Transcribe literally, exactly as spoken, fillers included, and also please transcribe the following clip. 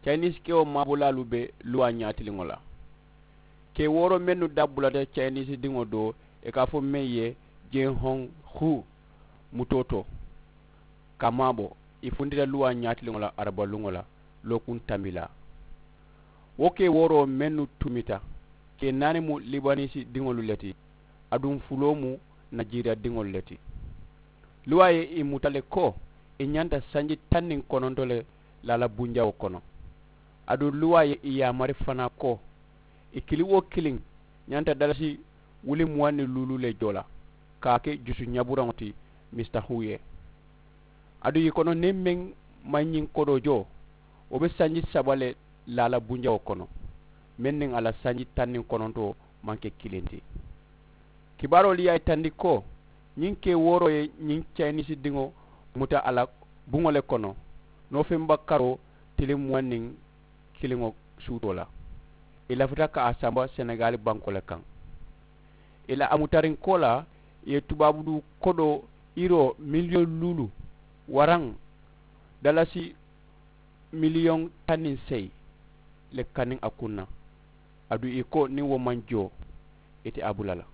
Cayiniisi kewo maabolaalu be luwaa ñaatiliŋo la. Kee wooroo mennu dabbulata cayiniisi diŋo doo, ì ka a fo meŋ ye jenhoŋ huu mutoo to, ka maabo ì funtita luwaa ñaatiliŋo la arabaluŋo la lookuŋ tambilaa. Wo kee wooroo mennu tumita, kee naani mu libaniisi diŋolu le ti, aduŋ fuloo mu najeriya diŋolu le ti. Luwaa ye ì muta le ko ì ñanta sanji taŋ niŋ kononto le laala bunjawoo kono. Aduŋ luwaa ye ì yaamari fanaa ko ì kiliŋ-wo-kiliŋ ñanta dalasi wuli muwaŋ niŋ luulu le joo la ka a ke jusu ñaburaŋo ti misita huu ye. Aduŋ ì kono niŋ meŋ maŋ ñiŋ kodoo joo wo be sanji saba le laala bunjawoo kono, meŋ niŋ a la sanji taŋ niŋ konontoo maŋ ke kiliŋ ti. Kibaaroolu ye a yitandi ko ñiŋ kee wooroo ye ñiŋ cayiniisi diŋo muta a la buŋo le kono, noofemba karoo tiliŋ muwaŋ niŋ kiliŋo suutoo la. Ì lafita ka a samba senegaali bankoo le kaŋ. Ì la a mutariŋ koolaa ì ye tubaabu duu kodoo iroo miliyoŋ luulu waraŋ dalasi miliyoŋ taŋ niŋ seyi le kaniŋ a kuŋ na. Aduŋ ì ko niŋ wo maŋ joo ì te a bula la.